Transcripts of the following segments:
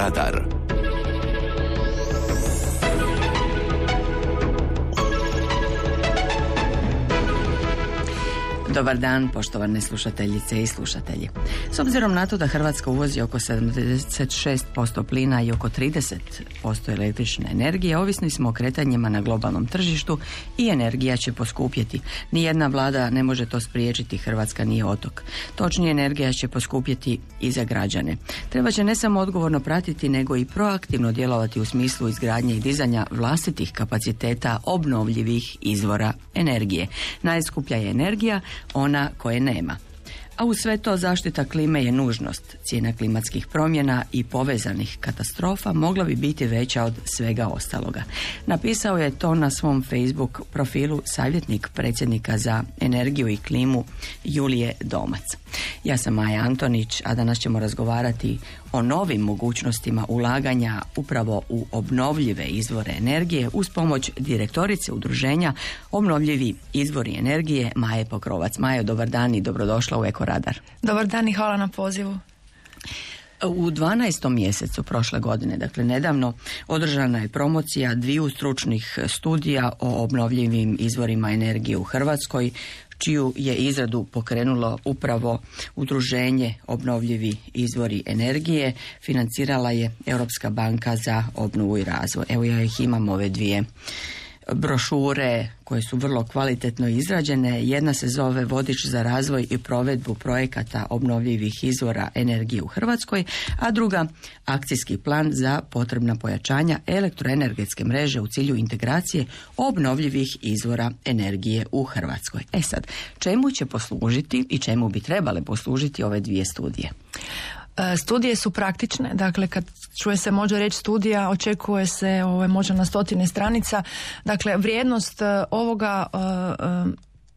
Radar. Dobar dan, poštovane slušateljice i slušatelji. S obzirom na to da Hrvatska uvozi oko 76% plina i oko 30% električne energije, ovisni smo o kretanjima na globalnom tržištu i energija će poskupjeti. Nijedna vlada ne može to spriječiti, Hrvatska nije otok. Točnije, energija će poskupjeti i za građane. Treba će ne samo odgovorno pratiti, nego i proaktivno djelovati u smislu izgradnje i dizanja vlastitih kapaciteta obnovljivih izvora energije. Najskuplja je energija, ona koje nema. A uz sve to zaštita klime je nužnost. Cijena klimatskih promjena i povezanih katastrofa mogla bi biti veća od svega ostaloga. Napisao je to na svom Facebook profilu savjetnik predsjednika za energiju i klimu Julije Domac. Ja sam Maja Antonić, a danas ćemo razgovarati o novim mogućnostima ulaganja upravo u obnovljive izvore energije uz pomoć direktorice udruženja Obnovljivi izvori energije Maje Pokrovac. Majo, dobar dan i dobrodošla u Eko Radar. Dobar dan i hvala na pozivu. U 12. mjesecu prošle godine, dakle nedavno, održana je promocija 2 stručnih studija o obnovljivim izvorima energije u Hrvatskoj, čiju je izradu pokrenulo upravo udruženje Obnovljivi izvori energije. Financirala je Europska banka za obnovu i razvoj. Evo, ja ih imam, ove 2 brošure koje su vrlo kvalitetno izrađene. Jedna se zove Vodič za razvoj i provedbu projekata obnovljivih izvora energije u Hrvatskoj, a druga Akcijski plan za potrebna pojačanja elektroenergetske mreže u cilju integracije obnovljivih izvora energije u Hrvatskoj. E sad, čemu će poslužiti i čemu bi trebale poslužiti ove 2 studije? Studije su praktične, dakle kad čuje se može reći studija, očekuje se možda na 100 stranica, dakle vrijednost ovoga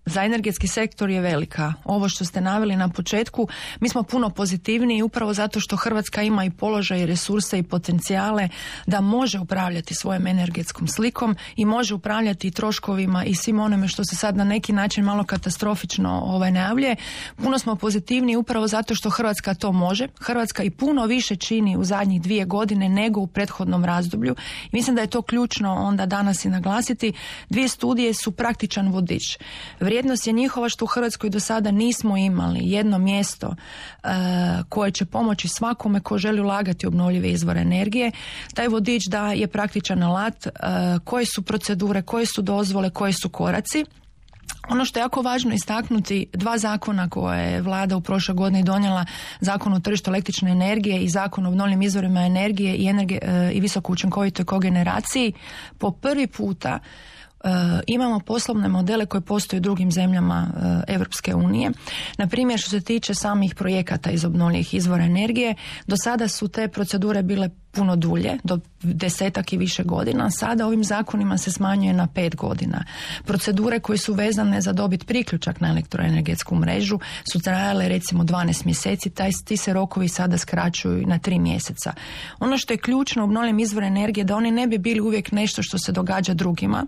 za energetski sektor je velika. Ovo što ste naveli na početku, mi smo puno pozitivniji upravo zato što Hrvatska ima i položaj i resurse i potencijale da može upravljati svojom energetskom slikom i može upravljati i troškovima i svim onome što se sad na neki način malo katastrofično najavljuje. Puno smo pozitivniji upravo zato što Hrvatska to može. Hrvatska i puno više čini u zadnjih 2 godine nego u prethodnom razdoblju. I mislim da je to ključno onda danas i naglasiti. 2 studije su praktičan vodič. Vrijednost je njihova što u Hrvatskoj do sada nismo imali jedno mjesto koje će pomoći svakome ko želi ulagati u obnovljive izvore energije. Taj vodič da je praktičan alat, koje su procedure, koje su dozvole, koji su koraci. Ono što je jako važno istaknuti, 2 zakona koje je vlada u prošloj godini donijela, Zakon o tržištu električne energije i Zakon o obnovljivim izvorima energije i visoko učinkovitoj kogeneraciji, po prvi puta imamo poslovne modele koje postoje u drugim zemljama Europske unije. Na primjer, što se tiče samih projekata iz obnovljivih izvora energije, do sada su te procedure bile puno dulje, do 10 i više godina. Sada ovim zakonima se smanjuje na 5 godina. Procedure koje su vezane za dobit priključak na elektroenergetsku mrežu su trajale recimo 12 mjeseci, ti se rokovi sada skraćuju na 3 mjeseca. Ono što je ključno u obnovljivim izvorima energije da oni ne bi bili uvijek nešto što se događa drugima.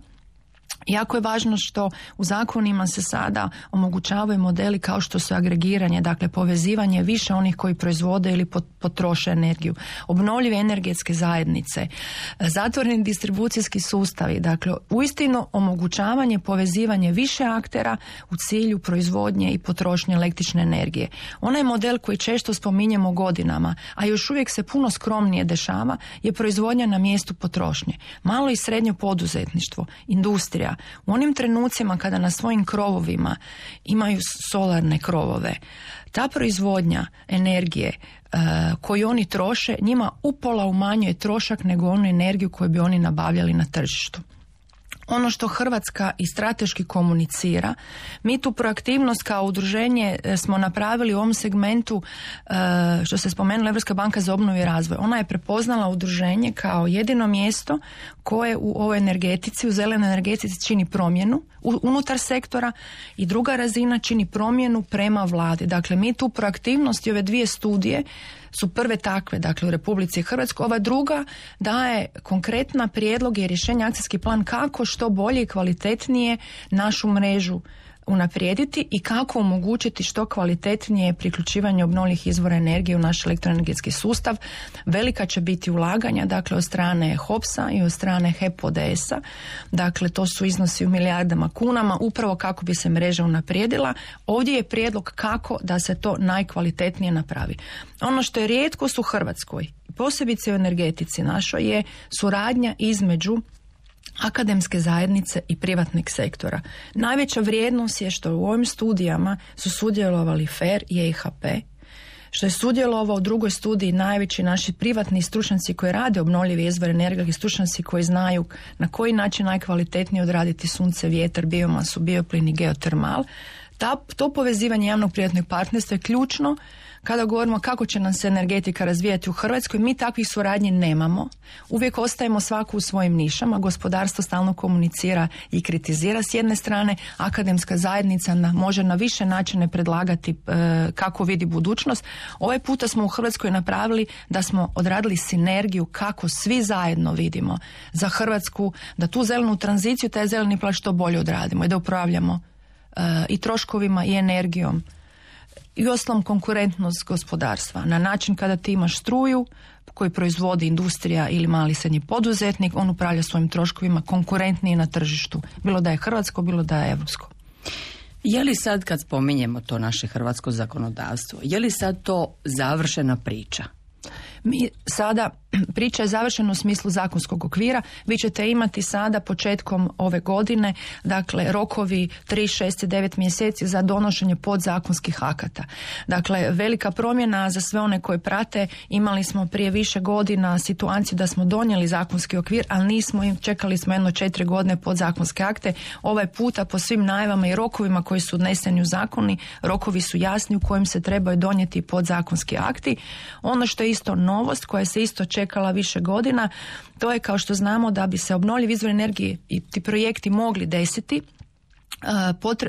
Jako je važno što u zakonima se sada omogućavaju modeli kao što su agregiranje, dakle povezivanje više onih koji proizvode ili potroše energiju, obnovljive energetske zajednice, zatvoreni distribucijski sustavi, dakle uistinu omogućavanje, povezivanje više aktera u cilju proizvodnje i potrošnje električne energije. Onaj model koji često spominjemo godinama, a još uvijek se puno skromnije dešava, je proizvodnja na mjestu potrošnje. Malo i srednje poduzetništvo, industrija, u onim trenucima kada na svojim krovovima imaju solarne krovove, ta proizvodnja energije koju oni troše njima upola umanjuje trošak nego onu energiju koju bi oni nabavljali na tržištu. Ono što Hrvatska i strateški komunicira, mi tu proaktivnost kao udruženje smo napravili u ovom segmentu, što se spomenula Europska banka za obnovu i razvoj. Ona je prepoznala udruženje kao jedino mjesto koje u ovoj energetici, u zelenoj energetici čini promjenu unutar sektora i druga razina čini promjenu prema vladi. Dakle, mi tu proaktivnost i ove 2 studije su prve takve, dakle u Republici Hrvatskoj. Ova druga daje konkretna prijedloge i rješenja, akcijski plan kako što bolje i kvalitetnije našu mrežu unaprijediti i kako omogućiti što kvalitetnije priključivanje obnovljivih izvora energije u naš elektroenergetski sustav. Velika će biti ulaganja, dakle od strane HOPS-a i od strane HEP ODS-a. Dakle, to su iznosi u milijardama kunama, upravo kako bi se mreža unaprijedila. Ovdje je prijedlog kako da se to najkvalitetnije napravi. Ono što je rijetkost u Hrvatskoj, posebice u energetici našoj, je suradnja između akademske zajednice i privatnog sektora. Najveća vrijednost je što u ovim studijama su sudjelovali FER i EIHP, što je sudjelovao u drugoj studiji najveći naši privatni stručnjaci koji rade obnovljive izvore energije, stručnjaci koji znaju na koji način najkvalitetnije odraditi sunce, vjetar, biomasu, bioplin i geotermal. To povezivanje javnog privatnog partnerstva je ključno kada govorimo kako će nam se energetika razvijati u Hrvatskoj. Mi takvih suradnji nemamo. Uvijek ostajemo svaku u svojim nišama. Gospodarstvo stalno komunicira i kritizira s jedne strane. Akademska zajednica može na više načine predlagati kako vidi budućnost. Ovaj puta smo u Hrvatskoj napravili da smo odradili sinergiju kako svi zajedno vidimo za Hrvatsku, da tu zelenu tranziciju, taj zeleni plan što bolje odradimo i da upravljamo i troškovima i energijom i uostalom konkurentnost gospodarstva na način kada ti imaš struju koju proizvodi industrija ili mali srednji poduzetnik, on upravlja svojim troškovima konkurentniji na tržištu, bilo da je hrvatsko, bilo da je evropsko. Je li sad, kad spominjemo to naše hrvatsko zakonodavstvo, je li sad to završena priča? Mi sada, priča je završena u smislu zakonskog okvira. Vi ćete imati sada početkom ove godine, dakle rokovi 3, 6 i 9 mjeseci za donošenje podzakonskih akata. Dakle, velika promjena za sve one koji prate. Imali smo prije više godina situaciju da smo donijeli zakonski okvir, ali nismo, čekali smo 4 godine podzakonske akte. Ovaj puta po svim najavama i rokovima koji su odneseni u zakoni, rokovi su jasni u kojim se trebaju donijeti podzakonski akti. Ono što je isto novost koja se isto čekala više godina, to je, kao što znamo, da bi se obnovljivi izvori energije i ti projekti mogli desiti,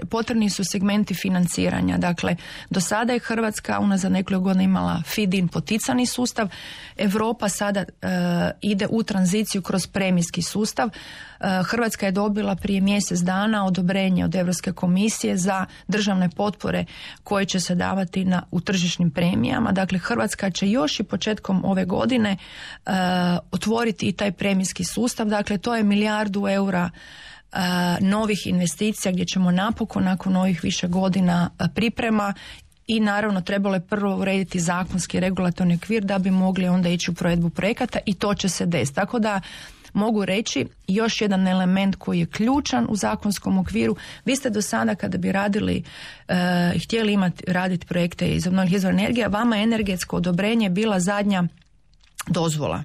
potrebni su segmenti financiranja. Dakle, do sada je Hrvatska unazad nekoliko godina imala feed-in poticani sustav. Europa sada ide u tranziciju kroz premijski sustav. Hrvatska je dobila prije mjesec dana odobrenje od Europske komisije za državne potpore koje će se davati u tržišnim premijama. Dakle, Hrvatska će još i početkom ove godine otvoriti i taj premijski sustav. Dakle, to je 1 milijardu eura novih investicija gdje ćemo napokon nakon ovih više godina priprema i naravno trebalo je prvo urediti zakonski regulatorni okvir da bi mogli onda ići u provedbu projekata i to će se desiti. Tako da mogu reći još jedan element koji je ključan u zakonskom okviru. Vi ste do sada kada bi radili i htjeli raditi projekte iz obnovljivih izvora energije, vama je energetsko odobrenje bila zadnja dozvola.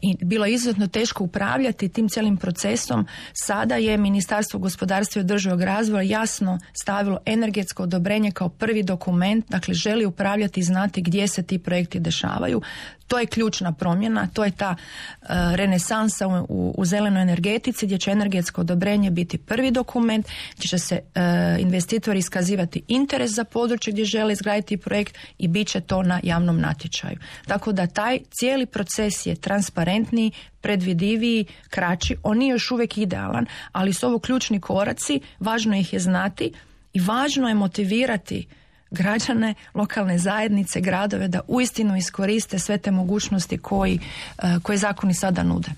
I bilo je izuzetno teško upravljati tim cijelim procesom. Sada je Ministarstvo gospodarstva i održivog razvoja jasno stavilo energetsko odobrenje kao prvi dokument, dakle želi upravljati i znati gdje se ti projekti dešavaju. To je ključna promjena, to je ta renesansa u zelenoj energetici gdje će energetsko odobrenje biti prvi dokument, gdje će se investitori iskazivati interes za područje gdje žele izgraditi projekt i bit će to na javnom natječaju. Tako da taj cijeli proces je transparentniji, predvidiviji, kraći. On nije još uvijek idealan, ali su ovo ključni koraci, važno ih je znati i važno je motivirati građane, lokalne zajednice, gradove da uistinu iskoriste sve te mogućnosti koje zakoni sada nude.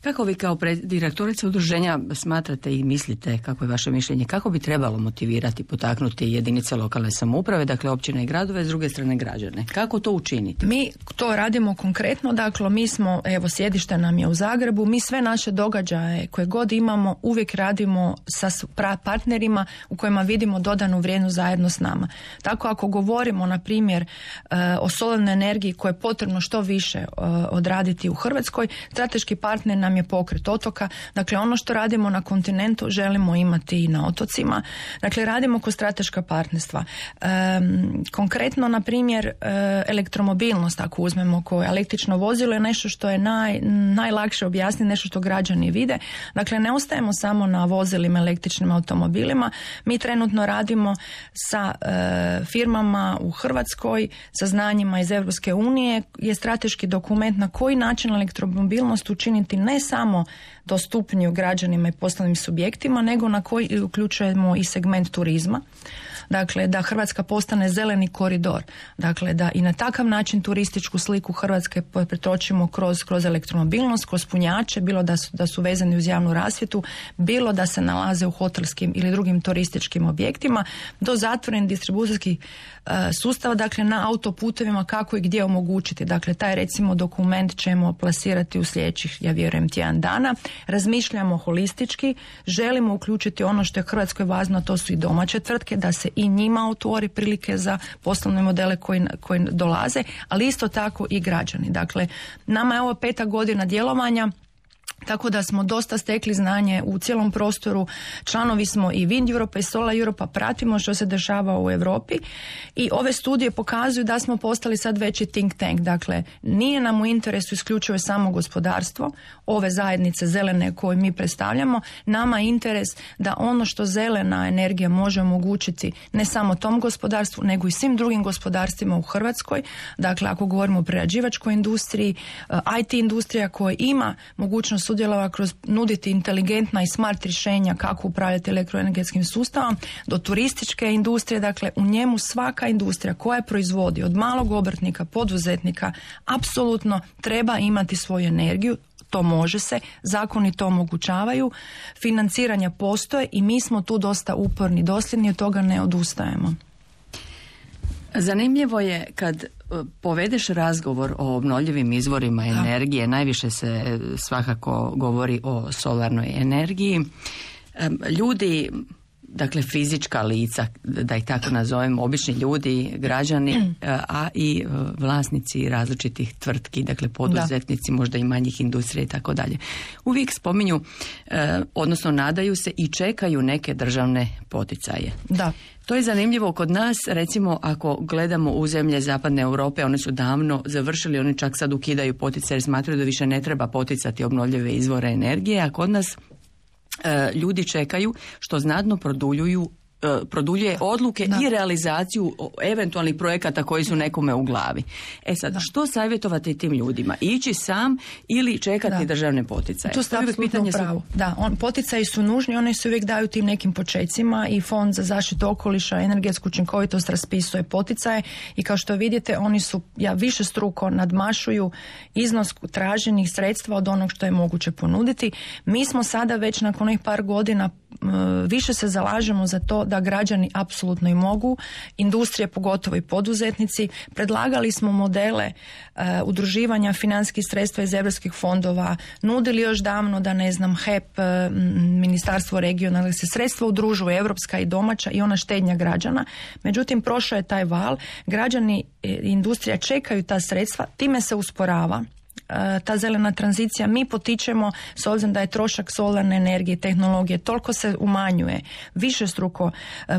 Kako vi kao direktorica udruženja smatrate i mislite, kako je vaše mišljenje, kako bi trebalo motivirati, potaknuti jedinice lokalne samouprave, dakle općine i gradove, s druge strane građane? Kako to učiniti? Mi to radimo konkretno, dakle mi smo, evo sjedište nam je u Zagrebu, mi sve naše događaje koje god imamo uvijek radimo sa partnerima u kojima vidimo dodanu vrijednost zajedno s nama. Tako ako govorimo na primjer o solarnoj energiji koje je potrebno što više odraditi u Hrvatskoj, strateški partner nam je Pokret otoka. Dakle, ono što radimo na kontinentu želimo imati i na otocima. Dakle, radimo kroz strateška partnerstva. Konkretno, na primjer, elektromobilnost, ako uzmemo koje električno vozilo je nešto što je najlakše objasniti, nešto što građani vide. Dakle, ne ostajemo samo na vozilima, električnim automobilima. Mi trenutno radimo sa firmama u Hrvatskoj, sa znanjima iz Europske unije, je strateški dokument na koji način elektromobilnost učiniti ne samo dostupniju građanima i poslovnim subjektima, nego na koji uključujemo i segment turizma. Dakle, da Hrvatska postane zeleni koridor. Dakle, da i na takav način turističku sliku Hrvatske pretočimo kroz elektromobilnost, kroz punjače, bilo da su vezani uz javnu rasvjetu, bilo da se nalaze u hotelskim ili drugim turističkim objektima, do zatvorenih distribucijskih sustava, dakle na autoputovima kako i gdje omogućiti. Dakle, taj recimo dokument ćemo plasirati u sljedećih, ja vjerujem, tjedan dana. Razmišljamo holistički, želimo uključiti ono što je Hrvatskoj važno, a to su i domaće tvrtke, da se i njima otvori prilike za poslovne modele koji dolaze, ali isto tako i građani. Dakle, nama je ovo 5. godina djelovanja, tako da smo dosta stekli znanje u cijelom prostoru. Članovi smo i Wind Europa i Solar Europa, pratimo što se dešava u Europi i ove studije pokazuju da smo postali sad veći think tank. Dakle, nije nam u interesu isključivo samo gospodarstvo, ove zajednice zelene koje mi predstavljamo. Nama je interes da ono što zelena energija može omogućiti ne samo tom gospodarstvu, nego i svim drugim gospodarstvima u Hrvatskoj. Dakle, ako govorimo o prerađivačkoj industriji, IT industrija koja ima mogućnost sudjelova kroz nuditi inteligentna i smart rješenja kako upravljati elektroenergetskim sustavom, do turističke industrije. Dakle, u njemu svaka industrija koja proizvodi od malog obrtnika, poduzetnika, apsolutno treba imati svoju energiju. To može se, zakoni to omogućavaju, financiranja postoje i mi smo tu dosta uporni, dosljedni, od toga ne odustajemo. Zanimljivo je kad povedeš razgovor o obnovljivim izvorima energije, najviše se svakako govori o solarnoj energiji. Ljudi, dakle fizička lica, da ih tako nazovemo, obični ljudi, građani, a i vlasnici različitih tvrtki, dakle poduzetnici, možda i manjih industrija i tako dalje. Uvijek spominju, odnosno nadaju se i čekaju neke državne poticaje. Da. To je zanimljivo kod nas, recimo ako gledamo u zemlje zapadne Europe, one su davno završili, oni čak sad ukidaju poticaje jer smatraju da više ne treba poticati obnovljive izvore energije, a kod nas ljudi čekaju, što znatno produljuje odluke i realizaciju eventualnih projekata koji su nekome u glavi. E sad, što savjetovati tim ljudima? Ići sam ili čekati državne poticaje? Tu ste apsolutno u pravu. Poticaji su nužni, oni se uvijek daju tim nekim počecima i Fond za zaštitu okoliša i energetsku učinkovitost raspisuje poticaje i kao što vidite oni su višestruko nadmašuju iznos traženih sredstva od onog što je moguće ponuditi. Mi smo sada već nakon onih par godina više se zalažemo za to da građani apsolutno i mogu, industrije pogotovo i poduzetnici. Predlagali smo modele udruživanja financijskih sredstva iz europskih fondova, nudili još davno da HEP, Ministarstvo regionalne se sredstva udružuju, europska i domaća i ona štednja građana. Međutim, prošao je taj val, građani i industrija čekaju ta sredstva, time se usporava ta zelena tranzicija. Mi potičemo, s obzirom da je trošak solarne energije, tehnologije, toliko se umanjuje. Višestruko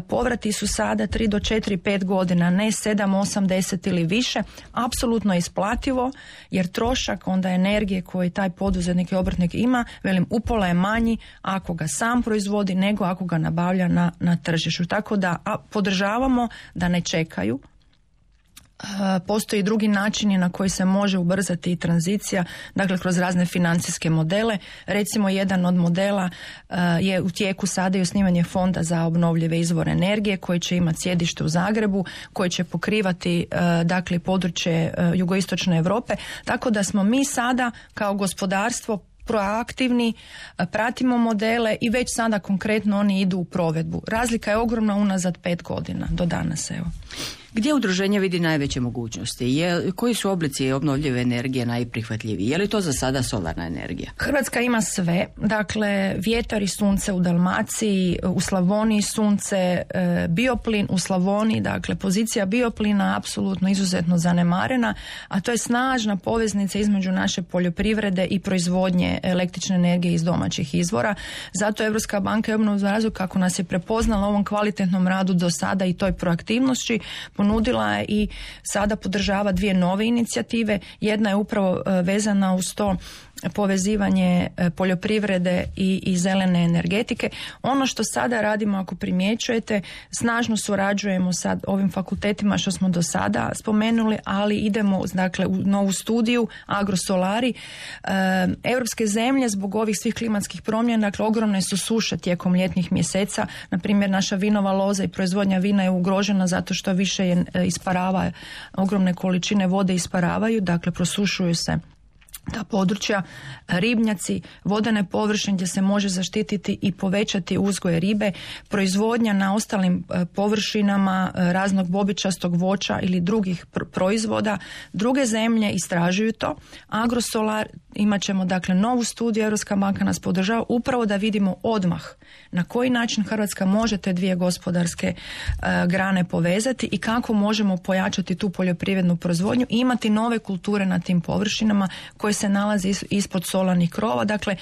povrati su sada 3 do 4, 5 godina, ne 7, 8, 10 ili više. Apsolutno isplativo, jer trošak onda energije koji taj poduzetnik i obrtnik ima, upola je manji ako ga sam proizvodi nego ako ga nabavlja na tržištu. Tako da podržavamo da ne čekaju. Postoji i drugi načini na koji se može ubrzati i tranzicija, dakle kroz razne financijske modele. Recimo jedan od modela je u tijeku sada i osnivanje fonda za obnovljive izvore energije koji će imati sjedište u Zagrebu, koji će pokrivati dakle područje jugoistočne Europe, tako da smo mi sada kao gospodarstvo proaktivni, pratimo modele i već sada konkretno oni idu u provedbu. Razlika je ogromna unazad 5 godina do danas, evo. Gdje udruženje vidi najveće mogućnosti? Koji su oblici obnovljive energije najprihvatljiviji? Je li to za sada solarna energija? Hrvatska ima sve. Dakle, vjetar i sunce u Dalmaciji, u Slavoniji sunce, bioplin u Slavoniji, dakle pozicija bioplina apsolutno izuzetno zanemarena, a to je snažna poveznica između naše poljoprivrede i proizvodnje električne energije iz domaćih izvora. Zato Europska banka i obnovu za razvoj, kako nas je prepoznala u ovom kvalitetnom radu do sada i toj proaktivnosti, ponudila je i sada podržava 2 nove inicijative. Jedna je upravo vezana uz to povezivanje poljoprivrede i zelene energetike. Ono što sada radimo, ako primjećujete, snažno surađujemo sa ovim fakultetima što smo do sada spomenuli, ali idemo dakle u novu studiju Agrosolari. Europske zemlje zbog ovih svih klimatskih promjena, dakle ogromne su suše tijekom ljetnih mjeseca. Na primjer, naša vinova loza i proizvodnja vina je ugrožena zato što više isparava, ogromne količine vode isparavaju, dakle prosušuju se ta područja, ribnjaci, vodene površine gdje se može zaštititi i povećati uzgoj ribe, proizvodnja na ostalim površinama raznog bobičastog voća ili drugih proizvoda. Druge zemlje istražuju to. Agrosolar, imat ćemo dakle novu studiju, Europska banka nas podržava upravo da vidimo odmah na koji način Hrvatska može te dvije gospodarske grane povezati i kako možemo pojačati tu poljoprivrednu proizvodnju i imati nove kulture na tim površinama koje se nalazi ispod solarnih krova. Dakle,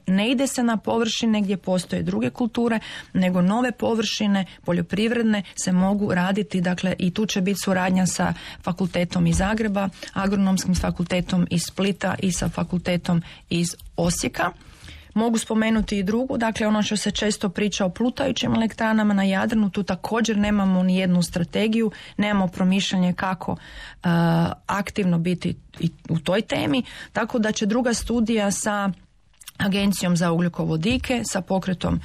ne ide se na površine gdje postoje druge kulture, nego nove površine poljoprivredne se mogu raditi. Dakle, i tu će biti suradnja sa fakultetom iz Zagreba, agronomskim fakultetom iz Splita i sa fakultetom iz Osijeka. Mogu spomenuti i drugu, dakle ono što se često priča o plutajućim elektranama na Jadranu, tu također nemamo ni jednu strategiju, nemamo promišljanje kako aktivno biti i u toj temi, tako da će druga studija sa Agencijom za ugljikovodike, sa pokretom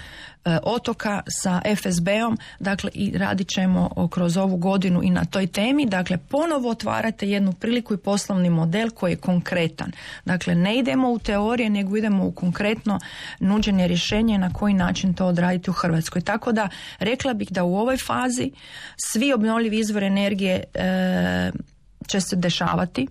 otoka, sa FSB-om, dakle i radit ćemo kroz ovu godinu i na toj temi, dakle ponovo otvarate jednu priliku i poslovni model koji je konkretan. Dakle, ne idemo u teorije, nego idemo u konkretno nuđenje rješenja na koji način to odraditi u Hrvatskoj. Tako da, rekla bih da u ovoj fazi svi obnovljivi izvori energije će se dešavati.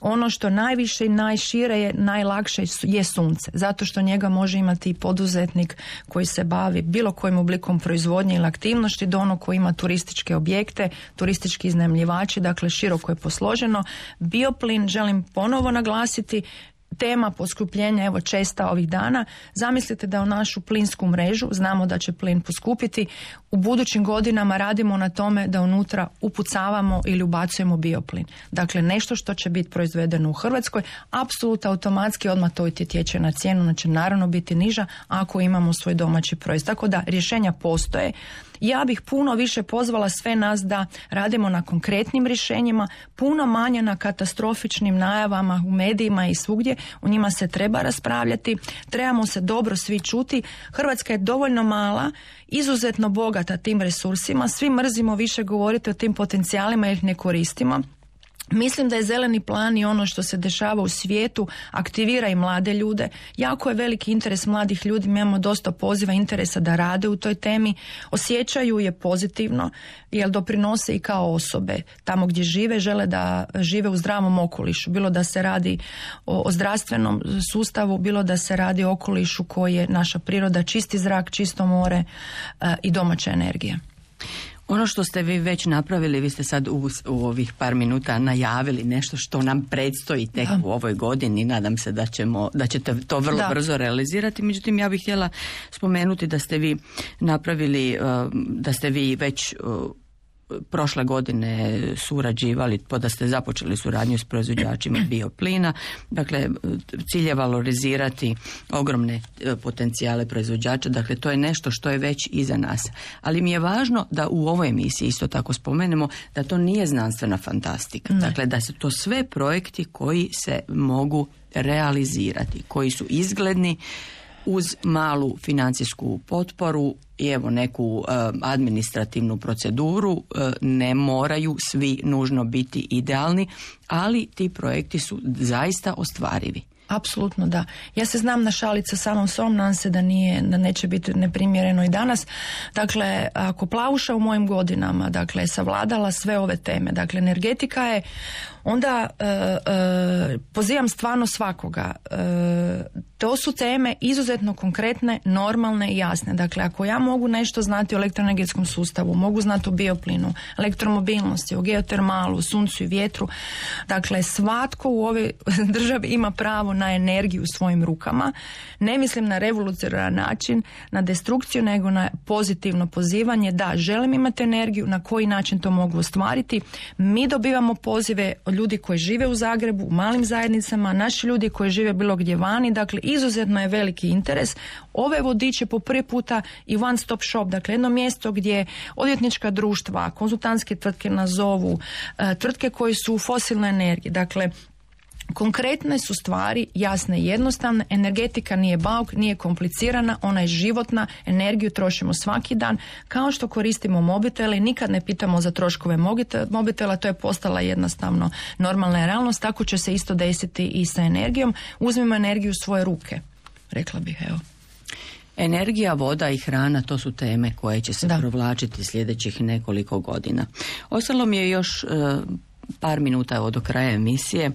Ono što najviše i najšire je, najlakše je sunce, zato što njega može imati i poduzetnik koji se bavi bilo kojim oblikom proizvodnje ili aktivnosti do onog koji ima turističke objekte, turistički iznajmljivači, dakle široko je posloženo. Bioplin, želim ponovo naglasiti, tema poskupljenja, evo česta ovih dana. Zamislite da u našu plinsku mrežu, znamo da će plin poskupiti, u budućim godinama radimo na tome da unutra upucavamo ili ubacujemo bioplin. Dakle, nešto što će biti proizvedeno u Hrvatskoj, apsolutno automatski odmah to utječe na cijenu, ona će naravno biti niža ako imamo svoj domaći proizvod. Tako da rješenja postoje. Ja bih puno više pozvala sve nas da radimo na konkretnim rješenjima, puno manje na katastrofičnim najavama u medijima i svugdje. U njima se treba raspravljati, trebamo se dobro svi čuti. Hrvatska je dovoljno mala, izuzetno bogata tim resursima, svi mrzimo više govoriti o tim potencijalima jer ih ne koristimo. Mislim da je zeleni plan i ono što se dešava u svijetu aktivira i mlade ljude. Jako je veliki interes mladih ljudi, mi imamo dosta poziva interesa da rade u toj temi, osjećaju je pozitivno jer doprinose i kao osobe tamo gdje žive, žele da žive u zdravom okolišu, bilo da se radi o zdravstvenom sustavu, bilo da se radi o okolišu koji je naša priroda, čisti zrak, čisto more i domaća energija. Ono što ste vi već napravili, vi ste sad u ovih par minuta najavili nešto što nam predstoji tek u ovoj godini. Nadam se da ćete to vrlo brzo realizirati. Međutim, ja bih htjela spomenuti da ste vi napravili, da ste vi već prošle godine surađivali, da ste započeli suradnju s proizvođačima bioplina. Dakle, cilj je valorizirati ogromne potencijale proizvođača. Dakle, to je nešto što je već iza nas. Ali mi je važno da u ovoj emisiji isto tako spomenemo da to nije znanstvena fantastika. Ne. Dakle, da su to sve projekti koji se mogu realizirati, koji su izgledni uz malu financijsku potporu i evo neku administrativnu proceduru. Ne moraju svi nužno biti idealni, ali ti projekti su zaista ostvarivi. Apsolutno da. Ja se znam našaliti sa samom sobom, nadam se da neće biti neprimjereno i danas. Dakle, ako Plavuša u mojim godinama, dakle, savladala sve ove teme, dakle, energetika je, onda pozivam stvarno svakoga. To su teme izuzetno konkretne, normalne i jasne. Dakle, ako ja mogu nešto znati o elektroenergetskom sustavu, mogu znati o bioplinu, elektromobilnosti, o geotermalu, suncu i vjetru, dakle, svatko u ovoj državi ima pravo na energiju u svojim rukama. Ne mislim na revolucionaran način, na destrukciju, nego na pozitivno pozivanje. Da, želim imati energiju, na koji način to mogu ostvariti. Mi dobivamo pozive od ljudi koji žive u Zagrebu, u malim zajednicama, naši ljudi koji žive bilo gdje vani, dakle izuzetno je veliki interes. Ove vodiče po prvi puta i one stop shop, dakle jedno mjesto gdje odvjetnička društva, konzultantske tvrtke nazovu, tvrtke koji su u fosilnoj energiji, dakle konkretne su stvari, jasne i jednostavne. Energetika nije bauk, nije komplicirana, ona je životna, energiju trošimo svaki dan, kao što koristimo mobitele i nikad ne pitamo za troškove mobitela, to je postala jednostavno normalna realnost, tako će se isto desiti i sa energijom. Uzmimo energiju u svoje ruke, rekla bih, evo. Energija, voda i hrana, to su teme koje će se provlačiti sljedećih nekoliko godina. Ostalo mi je još par minuta do kraja emisije,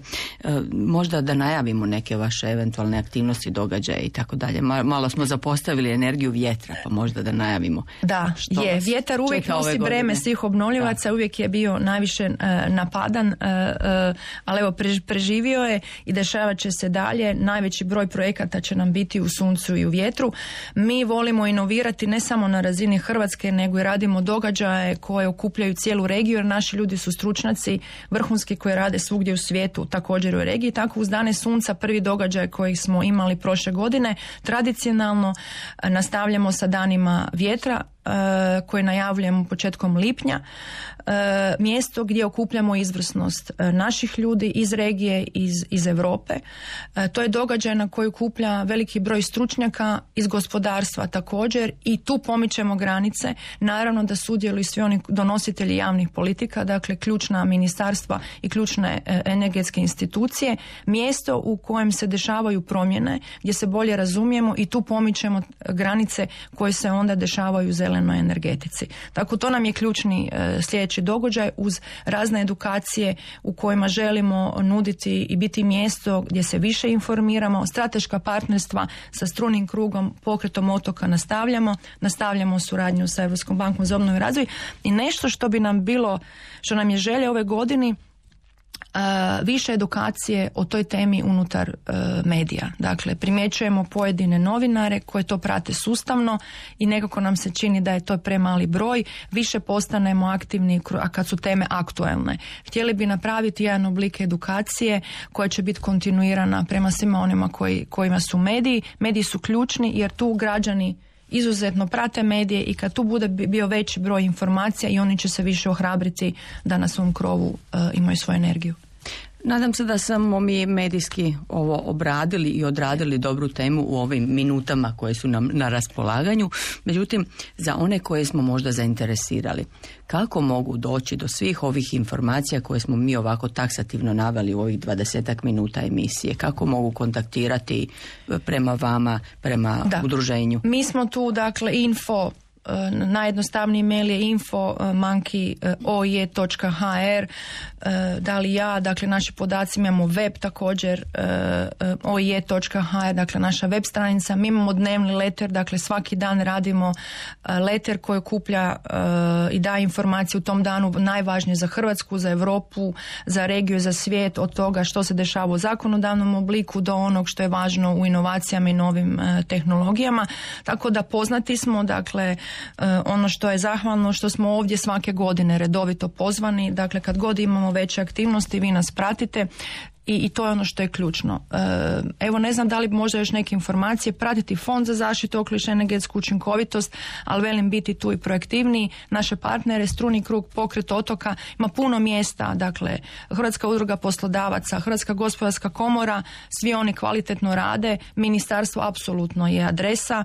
možda da najavimo neke vaše eventualne aktivnosti, događaje i tako dalje. Malo smo zapostavili energiju vjetra, pa možda da najavimo. Da, je. Vjetar uvijek nosi breme svih obnovljivaca, uvijek je bio najviše napadan, ali evo preživio je i dešavat će se dalje. Najveći broj projekata će nam biti u suncu i u vjetru. Mi volimo inovirati ne samo na razini Hrvatske, nego i radimo događaje koje okupljaju cijelu regiju, jer naši ljudi su stručnjaci, vrhunski, koji rade svugdje u svijetu, također u regiji. Tako uz Dane sunca, prvi događaj koji smo imali prošle godine, tradicionalno nastavljamo sa danima vjetra koje najavljujemo početkom lipnja. Mjesto gdje okupljamo izvrsnost naših ljudi iz regije, iz Europe. To je događaj na koji okuplja veliki broj stručnjaka iz gospodarstva također i tu pomičemo granice. Naravno da sudjeluju svi oni donositelji javnih politika, dakle ključna ministarstva i ključne energetske institucije. Mjesto u kojem se dešavaju promjene, gdje se bolje razumijemo i tu pomičemo granice koje se onda dešavaju u zelenoj energetici. Tako to nam je ključni sljedeći događaj uz razne edukacije u kojima želimo nuditi i biti mjesto gdje se više informiramo. Strateška partnerstva sa Strunim krugom, Pokretom otoka nastavljamo suradnju sa Europskom bankom za obnovu i razvoj i nešto što bi nam bilo, što nam je želja ove godine, više edukacije o toj temi unutar medija. Dakle, primjećujemo pojedine novinare koje to prate sustavno i nekako nam se čini da je to premali broj. Više postanemo aktivni kad su teme aktuelne. Htjeli bi napraviti jedan oblik edukacije koja će biti kontinuirana prema svima onima kojima su mediji. Mediji su ključni jer tu građani izuzetno prate medije i kad tu bude bio veći broj informacija i oni će se više ohrabriti da na svom krovu imaju svoju energiju. Nadam se da smo mi medijski ovo obradili i odradili dobru temu u ovim minutama koje su nam na raspolaganju. Međutim, za one koje smo možda zainteresirali, kako mogu doći do svih ovih informacija koje smo mi ovako taksativno naveli u ovih 20 minuta emisije? Kako mogu kontaktirati prema vama, prema udruženju? Mi smo tu, dakle, info, najjednostavniji mail je info@oie.hr. Da li ja, dakle naši podaci, imamo web također oie.hr, dakle naša web stranica. Mi imamo dnevni leter, dakle svaki dan radimo leter koji okuplja i daje informacije u tom danu najvažnije za Hrvatsku, za Europu, za regiju, za svijet, od toga što se dešava u zakonodavnom obliku do onog što je važno u inovacijama i novim tehnologijama. Tako da poznati smo, dakle ono što je zahvalno što smo ovdje svake godine redovito pozvani, dakle kad god imamo veće aktivnosti vi nas pratite i to je ono što je ključno. Evo, ne znam da li možda još neke informacije, pratiti Fond za zaštitu okoliša i energetsku učinkovitost, ali velim biti tu i proaktivniji. Naše partnere, Struni krug, Pokret otoka, ima puno mjesta, dakle Hrvatska udruga poslodavaca, Hrvatska gospodarska komora, svi oni kvalitetno rade, ministarstvo apsolutno je adresa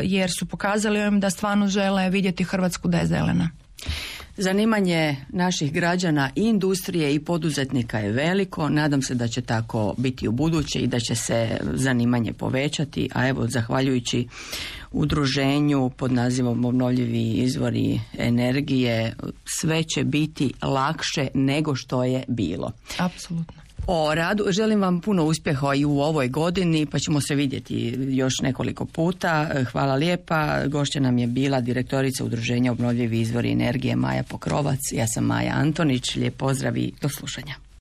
jer su pokazali im da stvarno žele vidjeti Hrvatsku da je zelena. Zanimanje naših građana i industrije i poduzetnika je veliko. Nadam se da će tako biti u buduće i da će se zanimanje povećati. A evo, zahvaljujući udruženju pod nazivom Obnovljivi izvori energije, sve će biti lakše nego što je bilo. Apsolutno. O radu želim vam puno uspjeha i u ovoj godini, pa ćemo se vidjeti još nekoliko puta. Hvala lijepa. Gošća nam je bila direktorica Udruženja Obnovljivi izvori energije Maja Pokrovac. Ja sam Maja Antonić. Lijep pozdrav i do slušanja.